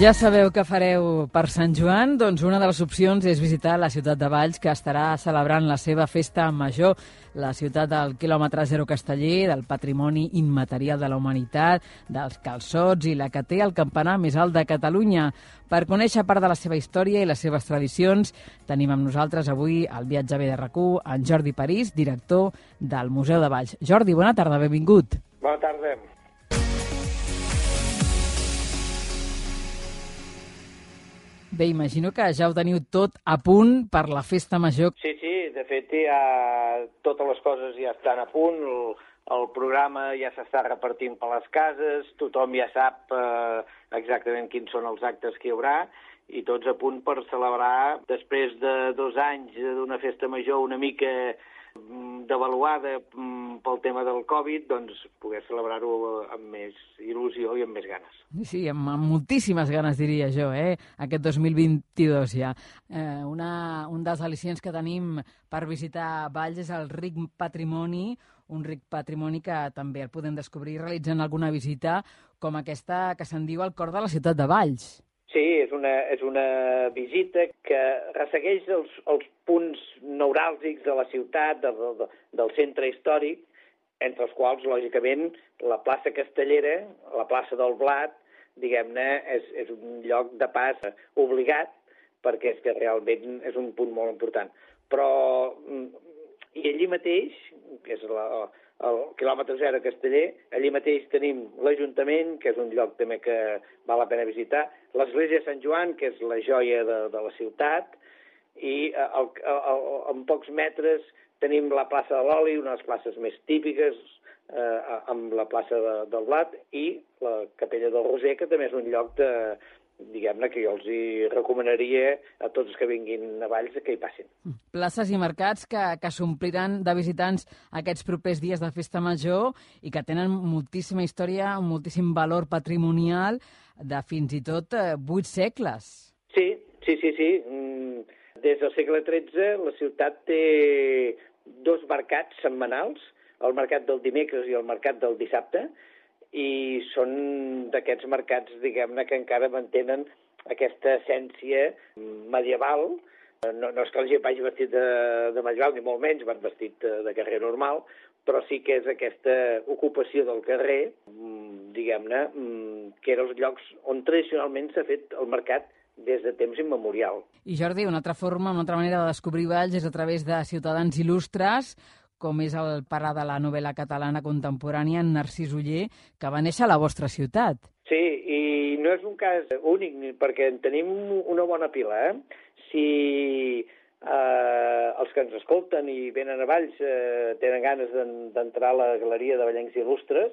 Ja sabeu què fareu per Sant Joan? Doncs una de les opcions és visitar la ciutat de Valls, que estarà celebrant la seva festa major, la ciutat del quilòmetre zero casteller, del patrimoni immaterial de la humanitat, dels calçots i la que té el campanar més alt de Catalunya. Per conèixer part de la seva història i les seves tradicions, tenim amb nosaltres avui al Viatge B de RAC1 en Jordi París, director del Museu de Valls. Jordi, bona tarda, benvingut. Bona tarda. Bé, imagino que ja ho teniu tot a punt per la festa major. Sí, de fet ja totes les coses ja estan a punt, el programa ja s'està repartint per les cases, tothom ja sap exactament quins són els actes que hi haurà i tots a punt per celebrar, després de 2 anys d'una festa major una mica devaluada pel tema del Covid, doncs poder celebrar-ho amb més il·lusió i amb més ganes. Sí, amb moltíssimes ganes, diria jo, aquest 2022 ja. Un dels al·licients que tenim per visitar Valls és el ric patrimoni, un ric patrimoni que també el podem descobrir realitzant alguna visita com aquesta que se'n diu al cor de la ciutat de Valls. Sí, és una visita que ressegueix els punts neuràlgics de la ciutat, del centre històric, entre els quals, lògicament, la plaça Castellera, la plaça del Blat, diguem-ne, és un lloc de pas obligat, perquè és que realment és un punt molt important. Però, i allí mateix, que és el quilòmetre zero Casteller, allí mateix tenim l'Ajuntament, que és un lloc també que val la pena visitar, l'Església de Sant Joan, que és la joia de la ciutat, i en pocs metres tenim la plaça de l'Oli, una de les places més típiques, amb la plaça del Blat, i la Capella del Roser, que també és un lloc diguem-ne, que jo els hi recomanaria a tots els que vinguin a Valls que hi passin. Places i mercats que s'ompliran de visitants aquests propers dies de festa major i que tenen moltíssima història, moltíssim valor patrimonial de fins i tot 8 segles. Sí. Des del segle XIII la ciutat té 2 mercats setmanals, el mercat del dimecres i el mercat del dissabte, i són d'aquests mercats, diguem-ne, que encara mantenen aquesta essència medieval. No és que la gent vagi vestit de medieval, ni molt menys, van vestit de carrer normal, però sí que és aquesta ocupació del carrer, diguem-ne, que eren els llocs on tradicionalment s'ha fet el mercat des de temps immemorial. I Jordi, una altra manera de descobrir Valls és a través de ciutadans il·lustres, com és el pare de la novel·la catalana contemporània, en Narcís Oller, que va néixer a la vostra ciutat. Sí, i no és un cas únic, perquè en tenim una bona pila. Si els que ens escolten i venen a Valls tenen ganes d'entrar a la Galeria de Vallencs Il·lustres,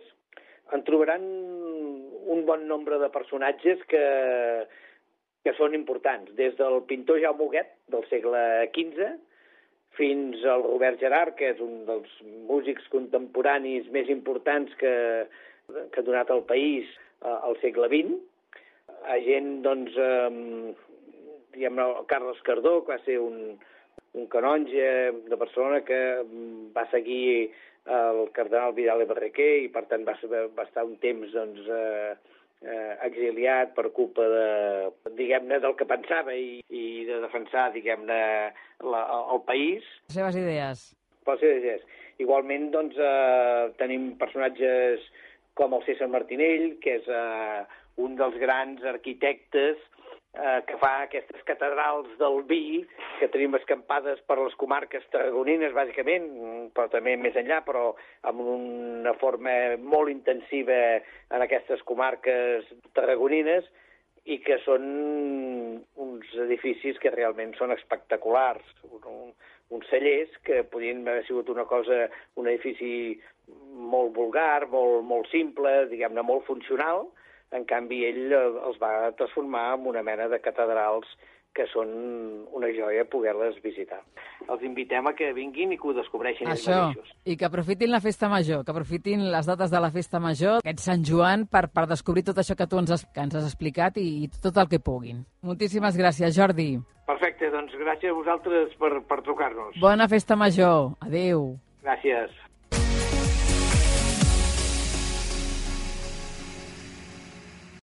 en trobaran un bon nombre de personatges que són importants, des del pintor Jaume Huguet, del segle XV, fins al Robert Gerhard, que és un dels músics contemporanis més importants que ha donat al país al segle XX. A gent, doncs, diguem-ne, Carles Cardó, que va ser un canonge de Barcelona que va seguir el cardenal Vidal i Barraquer i, per tant, va estar un temps, doncs, exiliat per culpa diguem-ne, del que pensava i de defensar, diguem-ne, el país. Les seves idees. Les seves idees. Igualment, doncs, tenim personatges com el César Martinell, que és un dels grans arquitectes que fa aquestes catedrals del vi que tenim escampades per les comarques tarragonines, bàsicament, però també més enllà, però amb una forma molt intensiva en aquestes comarques tarragonines i que són uns edificis que realment són espectaculars. Uns cellers que podien haver sigut un edifici molt vulgar, molt simple, diguem-ne, molt funcional. En canvi, ell els va transformar en una mena de catedrals que són una joia poder-les visitar. Els invitem a que vinguin i que ho descobreixin ells mateixos. I que aprofitin la festa major, que aprofitin les dates de la festa major, aquest Sant Joan, per descobrir tot això que tu ens has explicat i tot el que puguin. Moltíssimes gràcies, Jordi. Perfecte, doncs gràcies a vosaltres per trucar-nos. Bona festa major. Adéu. Gràcies.